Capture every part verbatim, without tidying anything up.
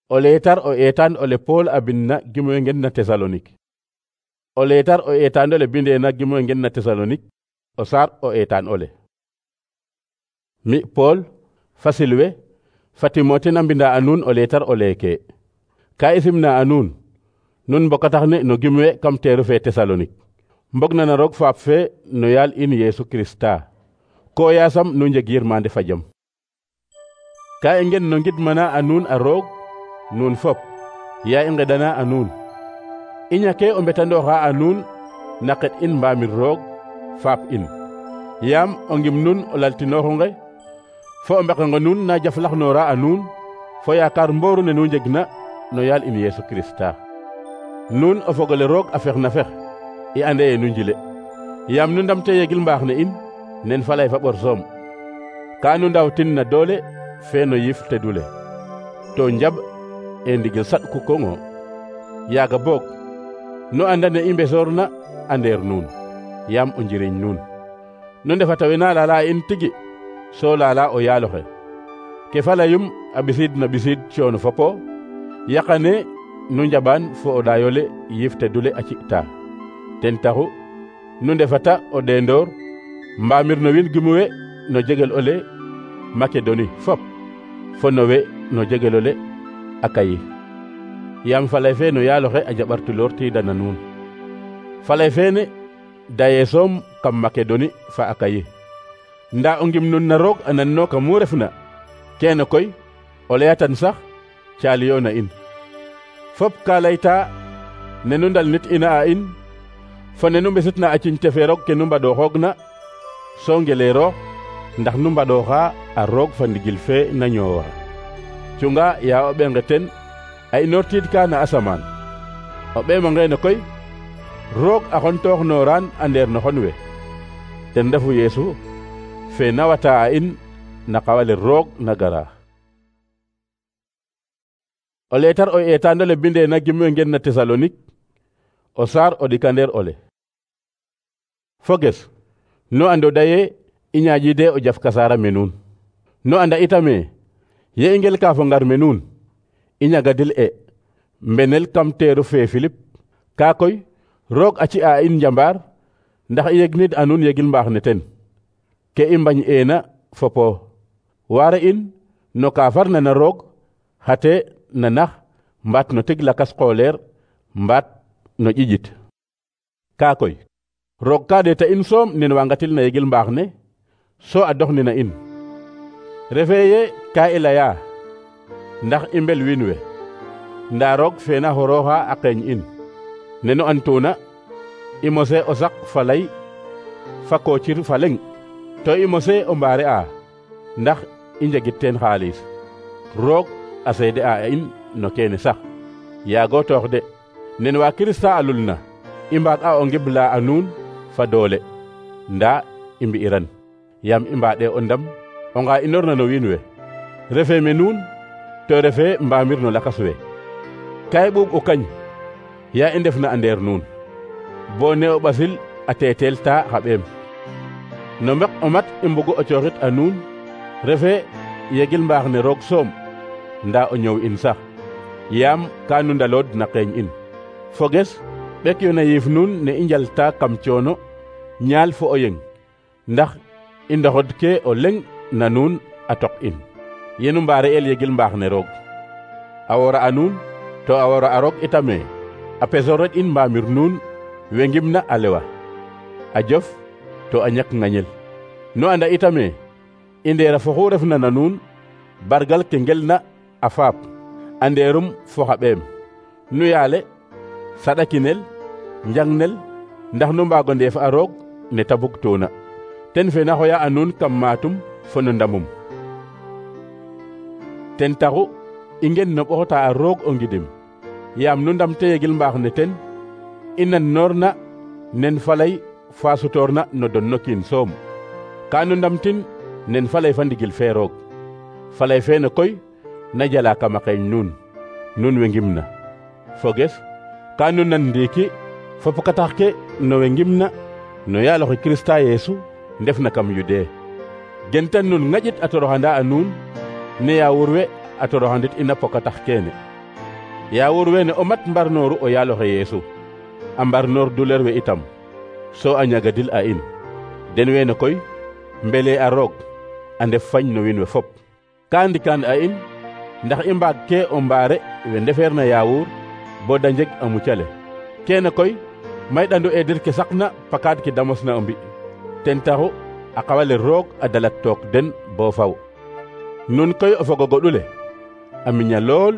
O leetar o eetaan ole Pool a bindna gimoy ngen na Tesalonik. O leetar o eetaan ole bindeena gimoy ngen na Tesalonik, o saar o eetaan ole. Mi Pool, fa Silwe, fa Timote na mbinda a nuun o leetar o leeke. Ka i simna a nuun, nun mbokatax ne no gimwe kam teeru fe Tesalonik. Mbog na na roog faap fe no yaal in Yeesu Kirista. Ko yaasam nu njeg yirmande fa jam. Ka i ngen no ngidmana a nuun a roog, nuun fop, yaa i ngedana a nuun. I ñake o mbetandooxa a nuun na qet in mbaamir roog, faap in. Yaam o ngim nun o laltinooxu nge, fo o mbeqengo nuun na jaflaxnoora a nuun, fo yaakaar mbooru ne nu njegna no yaal in Yeesu Kirista. Nuun o fogole roog a fex na fex, i ande ye nu njile. Yaam nu ndamte yegil mbaax ne in, nen falay fa ɓor soom. Ka nu ndawtin na doole fe no yif tedule. To njab e ndigil saɗku koŋo. Yaaga boog, nu anda ne i mbesoorna a ndeer nuun, yaam o njiriñ nuun. Nu ndefata wena lala in tigi, so lala o yaaloxe. Ke falayum a ɓisiid na ɓisiid coono fopo, yaqane nu njaɓaan fo o ɗaayole yif tedule a ci'ta. Ten taxu, nu ndefata o ɗeendoor, mbaamir no wiin gimuwe no jegel ole Makedoni fop, fo no we no jegel ole Akayi. Yaam falay fe no yaaloxe a jaɓartuloor tiidana nuun. Falay feene daye soom kam Makedoni fa Akayi. Ndaa o ngim nun na roog a nanno ka mu refna, keene koy o layatan sax caaliyo na in. Fop ka layta ne nu ndal nit ina a in, fo ne nu mbesitna a ciñte fe roog ke nu mbaɗooxoogna, so ngeleeroox ndax nu mbaɗooxa a roog fa ndigil fe na ñoowaa. Cunga yaa o ɓenge ten a inoortiidka na asamaan. O ɓeemongeene koy, roog a xontooxnooraan a ndeer no xon we. Ten refu Yeesu fe nawata a in na qawale roog na gara. O leetar o eetaan ole bindeena gimwe ngen na Tesalonik, o saar o ɗikandeer ole. Foges, nu ando daye i ñaaƴiide o jaf kasaara me nuun. Nu anda itame ye i ngel ka fo ngar me nuun, i ñagadil e mbenel kam teeru fe Filip. Ka koy roog a ci a in njambaar, ndax i yegnid a nuun yegil mbaax ne ten. Ke i mbañ eena fopo waare in no ka farna na roog, xate na nax mbaat no tig lakas qooleer mbaat no ƴiƴit. Ka koy roog ka ɗeeta in soom nen wangatil na yegil mbaax ne, so a doxnina in. Refee ye ka i laya ndax i mbel wiin we, ndaa roog fe na xorooxa a qeeñ in. Nenu antuna i mose o sak fa lay fa koocir fa leŋ, to i mose o mbaare a ndax i njegit teen xaalis. Roog a seede a in no keene sax. Yaago toox de, nen waa Kirista a lulna i mbaag a o ngibla a nuun fa doole, ndaa i mbi'iran, yaam i mbaɗe o ndam o nga inorna no wiin we. Refee me nuun to refee mbaamir no lakas we. Ka i ɓuuɓ o kañ yaa i ndefna a ndeer nuun, bo ne o ɓasil a teeteel ta xa ɓeem. No mbek o mat i mbugu o cooxit a nuun, refee yegil mbaax ne roog soom, ndaa o ñoow in sax, yaam ka nu ndalood na qeeñ in. Foges, ɓek yo na yiif nuun ne i njalta kam coono ñaal fo o yeng, ndax i ndoxod ke o leŋ na nuun a tok in, yenu mbaare el yegil mbaax ne roog. A wora a nuun, to a wora a roog itame, a pesoret in mbaamir nuun we ngimna a lewa, a jof to a ñak ŋañel. Nu anda itame i ndeera fo xu refna na nuun, bargal ke ngelna a faap, a ndeerum fo xa ɓeem. Nu yaale saɗakinel njangnel ndax nu mbaago ndeef a roog ne ta bugtuuna. Ten fe na xoya a nuun kam maatum fo no ndamum. Ten taxu i ngen no ɓoxota a roog o ngidim, yaam nu ndamte yegil mbaax ne ten, i nan noorna nen falay fa sutoorna no donno kiin soom. Ka nu ndamtin nen falay fa ndigil fe roog. Falay feene koy na jala kam a qeeñ nuun, nuun we ngimna. Foges, ka nu nan ndiiki fo pokatax ke no we ngimna no yaaloxe Kirista Yeesu ndefna kam Yudee. Gentan nun ŋaƴit a toroxanda a nuun, ne yaawur we a toroxandit ina pokatax keene. yaawur wene o mat mbarnooru o yaaloxe Yeesu a mbarnoor duleer we itam so a ñagadil a in den wene koy mbele a roog a ndef fañ no wiin we fop ka ndikaan a in ndax i mbaag ke o mbaare we ndefeerna yaawur bo da njeg a mucale kene koy may ɗandu eedir ke saqna pakaad ke damosna o mbi ten taxu a qawale roog a dalat took den bo faw nun koy o fogo goɗule a miña lool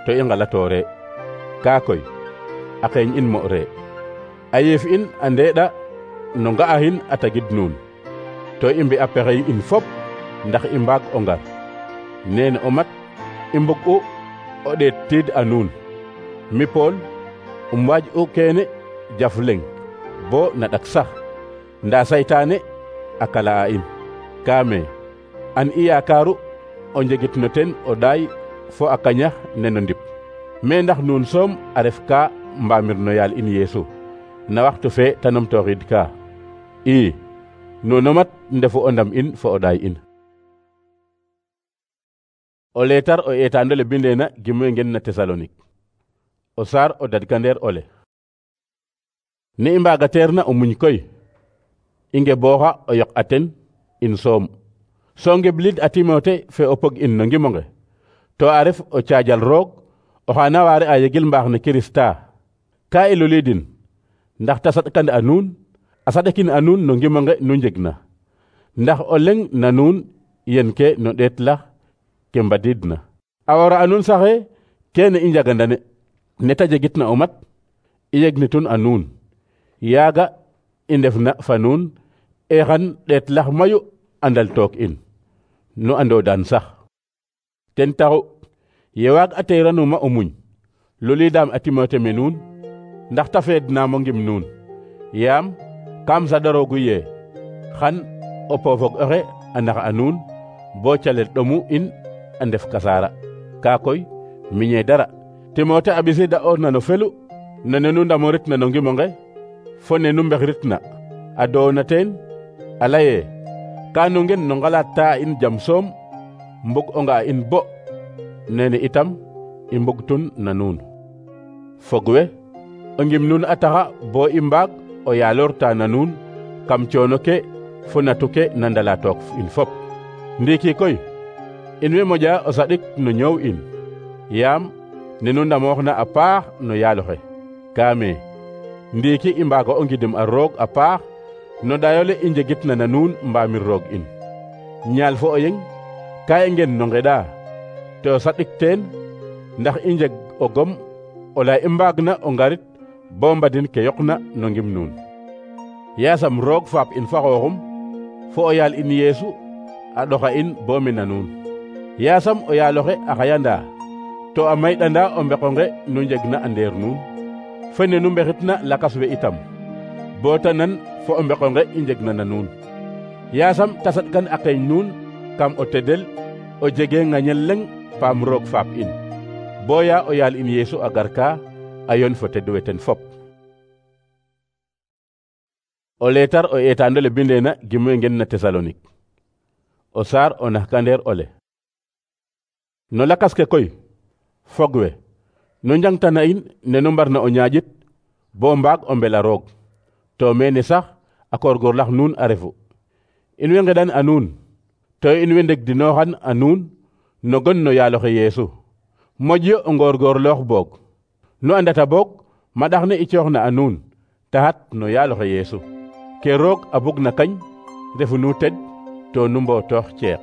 to i ngalatoore kaa koy a xeeñ in mo re a yiif in a ndeeɗa no nga'ahin a tagid nuun to i mbi'a pexey in fop ndax i mbaag o ngar nene o mat i mbug u o ɗeet tiid a nuun mi Pool um waaj u keene jaf leng bo na ɗak sax ndaa saytaane a kala a in kaame an i yaakaaru o njegit no ten o ɗaay fo a kañax neno ndip mais ndax nuun soom a ref ka mbaamir no yaal in Yeesu na waxtu fe ta numtooxiid ka ii nuuno mat ndefu o ndam in fo o ɗaay in. O leetar o eetaando le bindeena gimuye ngen na Tesalonik o saar o dadkandeer ole ni i mbaagateerna o muñ koy i ngebooxa o yoq a ten in soom so ngebliid a Timote fe o pog in no ngimonge to a ref o caajal roog oxa na waare a yegil mbaax ne Kirista ka i luliidin ndax ta saɗkand a nuun a saɗakin a nuun no ngimonge nu njegna ndax o leŋ na nuun yen ke no ɗeet lax ke mbadiidna a wara a nuun saxe kene i njagandane ne ta jegitna o mat i yegnitun a nuun yaaga i ndefna fa nuun e xan ɗeet lax mayu a ndal took in nu ando daan sax ten taxu ye waag a teeranuma o muñ luliidaam a Timote me nuun ndax ta feednaam o ngim nuun yaam kam saɗaroogu ye xan o poofog oxe a nax a nuun bo calel ɗomu in a ndef kasaara kaa koy miñe dara Timote a ɓisiida oorna no felu no ne nu ndamoritna no ngimonge fo ne nu mbexritna a doona teen a laye ka nu ngen no ngalaat ta in jam soom mbug o nga in bo nene itam i mbugtun na nuun fog we o ngim nuun a taxa bo i mbaag o yaaloorta na nuun kam coono ke fo natu ke na ndala took in fop ndiiki koy in way moƴa o saɗik no ñoow in yaam ne nu ndamooxna a paax no yaaloxe kaame ndiiki i mbaago o ngidim a roog a paax no dayole i njegitna na nuun mbaamir roog in ñaal fo o yeng ka i ngen no ngeɗa to saɗik teen ndax i njeg o gom o lay i mbaagna o ngarit bo mbadin ke yoqna no ngim nuun yaasam roog faap in fa xooxum fo o yaal in Yeesu a ɗoxa in bo mena nuun yaasam o yaaloxe a xayanda to a mayɗanda o mbeqonge nu njegna a ndeer nuun fo ne nu mbexitna lakas we itam bo ta nan fo o mbeqonge i njegna na nuun yaasam ta saɗkan a qeeñ nuun kam o tedel o jege ŋañel leŋ paam roog faap in boya o yaal in Yeesu a garka a yon fo tedwe ten fop. O leetar o eetaando le bindeena gimuye ngen na Tesalonik o saar o naxkandeer ole no lakas ke koy fog we nu njangtana in ne nu mbarna o ñaƴit bo mbaag o mbela roog to mene sax a koorgoorlax nuun a refu in way ngeɗan a nuun to in way ndegdinooxan a nuun no gon no yaaloxe Yeesu moƴyo o ngoorgoorloox boog nu andata boog maɗax ne i cooxna a nuun taxat no yaaloxe Yeesu ke roog a bugna kañ refu nu ted to nu mbootoox ceeq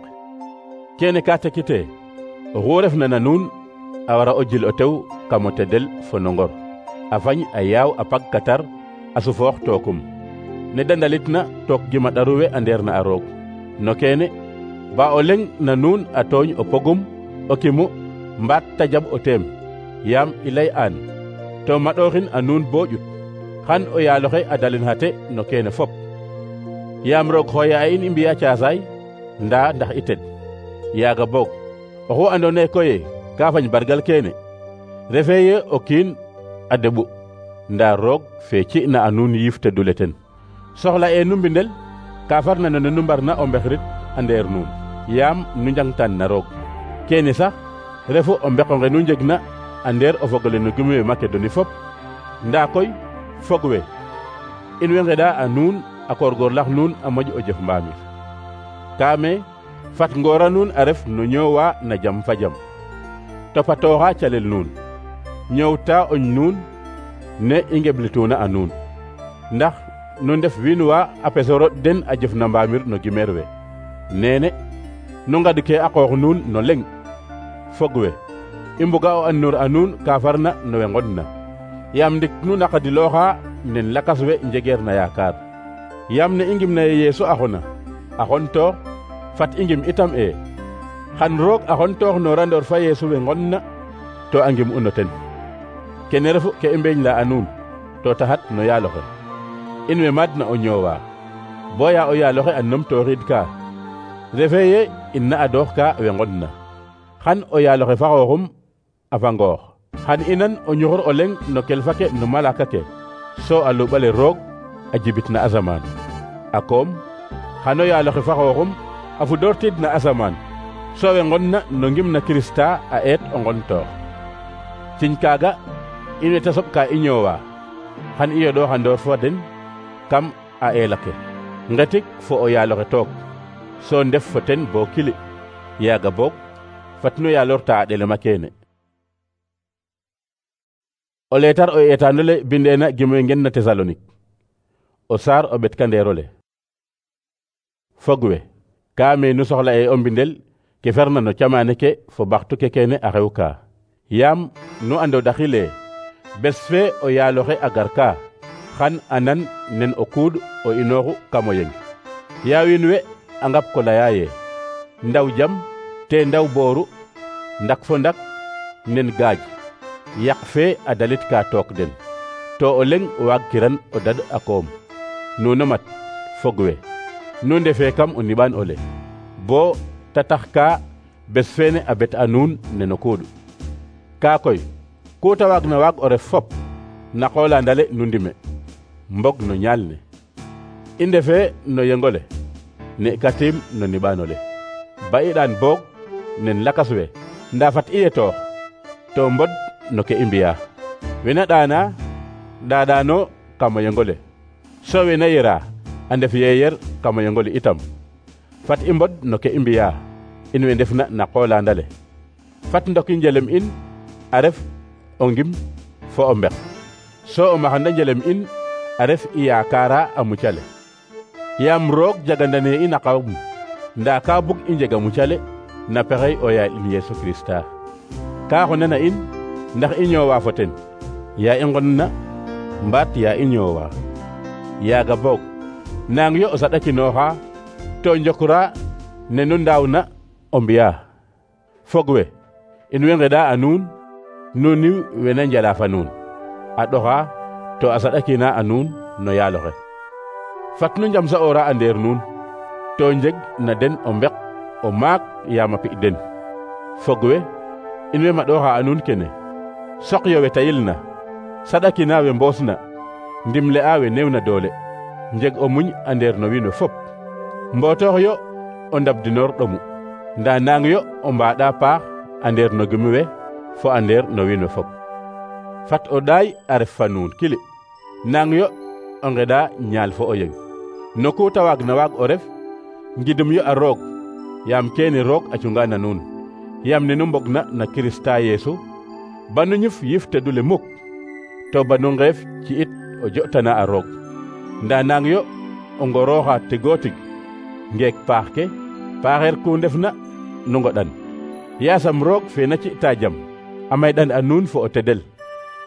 kene ka tekite oxu refna na nuun a wara o jil o tew kam o tedel fo no ngor a fañ a yaaw a pag katar a sufoox tookum ne da ndalitna took gima ɗaru we a ndeerna a roog no kene ba o leŋ na nuun a tooñ o pogum o kimu mbaat ta jaɓ o teem yaam i lay aan to maɗooxin a nuun bo ƴut xan o yaaloxe a dalin xate no kene fop yaam roog xooya a in i mbi'a caasaay ndaa ndax i ted yaaga boog oxu andoona yee koye ka fañ bargal kene refee ye o kiin a deɓu ndaa roog fe ci'na a nuun yiif tedule ten soxla e nu mbindel ka farna no ne nu mbarna o mbexrit a ndeer nuun yaam nu njangtan na roog kene sax refu o mbeqonge nu njegna a ndeer o fogole no gim we Macedoni fop ndaa koy fog we in way ngeɗa a nuun a koorgoorlax nuun a moƴ o jëf mbaamir kaame fat ngoora nuun a ref no ñoowa na jam fa jam topatooxa calel nuun ñoowta oñ nuun ne i ngeblituuna a nuun ndax nu ndef wiin wa a pesoro den a jëf na mbaamir no gimeer we neene nu ngad ke a qoox nuun no leŋ fog we i mbuga o andoor a nuun ka farna no we ngodna yaam ndik nu naqadilooxa nen lakas we njegeer na yaakaar yaam ne i ngimna ye Yeesu a xona a xontoox fat i ngim itam e xan roog a xontoox noorandoor fa Yeesu we ngodna to a ngim u no ten kene refu ke i mbeeñ la a nuun to taxat no yaaloxe in we maadna o ñoowa boya o yaaloxe a numtooxiid ka refe ye in na adoox ka we ngodna xan o yaaloxe fa xooxum a fangoox xan inan o ñuxur o leŋ no kelfa ke no malaka ke so a luɓale roog a jibit na asamaan a koom xan o yaaloxe fa xooxum a fudoortiid na asamaan so we ngodna no ngim na Kirista a eet o ngontoox ciñ kaaga in we ta soɓ ka i ñoowa xan i yoɗooxandoor fo den kam a eela ke ngetik fo o yaaloxe took so ndef fo ten bo kili yaaga boog fat nu yaalorta a ɗelema keene o leetar o eetaanole bindeena gimoy ngen na Tesalonik o saar o ɓetkandeerole fog we kaame nu soxla e o mbindel ke ferna no camaane ke fo baxtu ke keene a xew ka yaam nu ando daxile bes fe o yaaloxe a gar ka xan anan nen o kuud o inooxu kam o yeng yaa wiin we a ngap ko laya ye ndaw jam te ndaw booru ndak fo ndak nen gaaj yaq fe a dalit ka took den to o leŋ waag kiran o dad a koom nuno mat fog we nu ndefe kam o niɓaan ole bo ta tax ka bes feene a bet a nuun neno kuuɗ kaa koy ku ta waag na waag o ref fop na qoolandale nu ndime mbog no ñaal ne i ndefe no yengole ne katiim no niɓaanole ba i ɗaan boog nen lakas we ndaa fat i yetoox to mbod no ke i mbi'a wena ɗaana ɗaaɗaano kam o yengole so wena yera a ndef yeeyer kam o yengole itam fat i mbod no ke i mbi'a in we ndefna na qoolandale fat ndoki njelem in a ref o ngim fo o mbek so o maxanda njelem in a ref i yaakaara a mucale yaam roog jagandane in a qawum ndaa ka bug i njega mucale na pexey o yaal in Yeesu Kirista ka xonana in ndax i ñoowa fo ten yaa i nqonna mbaat yaa i ñoowa yaaga boog naang yo o saɗakinooxa to njokra ne nu ndaawna o mbi'a fog we in way ngeɗa a nuun nuuni wena njala fa nuun a ɗoxa to a saɗakina a nuun no yaaloxe fat nu njam sa'oora a ndeer nuun to njeg na den o mbek o maak yaam a pi' den fog we in way maɗooxa a nuun kene soqyo we tayilna saɗakina we mboosna ndimle a we newna doole njeg o muñ a ndeer no wiin we fop mbootox yo o ndabdinoor ɗomu ndaa naang yo o mbaaɗa paax a ndeer no gimi we fo a ndeer no wiin we fop fat o ɗaay a ref fa nuun kili naang yo o ngeɗa ñaal fo o yeng no ku ta waag na waag o ref ngidum yo a roog yaam keene roog a cunga na nuun yaam ne nu mbogna na Kirista Yeesu banu ñuf yif tedule muk to banu ngeef ci it o jo'tana a roog ndaa naang yo o ngorooxa tigoo tig ngeek paax ke paaxeer ku ndefna nu ngoɗan yaasam roog fe na ci'ta jam a mayɗan a nuun fo o tedel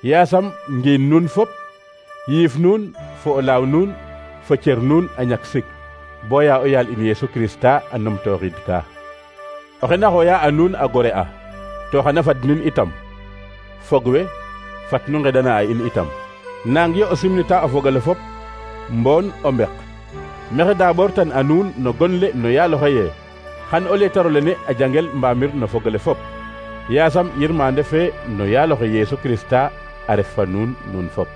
yaasam ngiin nuun fop yiif nuun fo o laaw nuun fo cer nuun a ñak sik boya o yaal in Yeesu Kirista a numtooxiid ka oxe na xooya a nuun a gore a to xana fad nun itam fog we fat nu ngeɗana a in itam naang yo o simnita o fogole fop mboon o mbek mexe daaɓoortan a nuun no gonle no yaaloxe ye xan o leetarole ne a jangel mbaamir no fogole fop yaasam yirmande fe no yaaloxe Yeesu Kirista a ref fa nuun nuun fop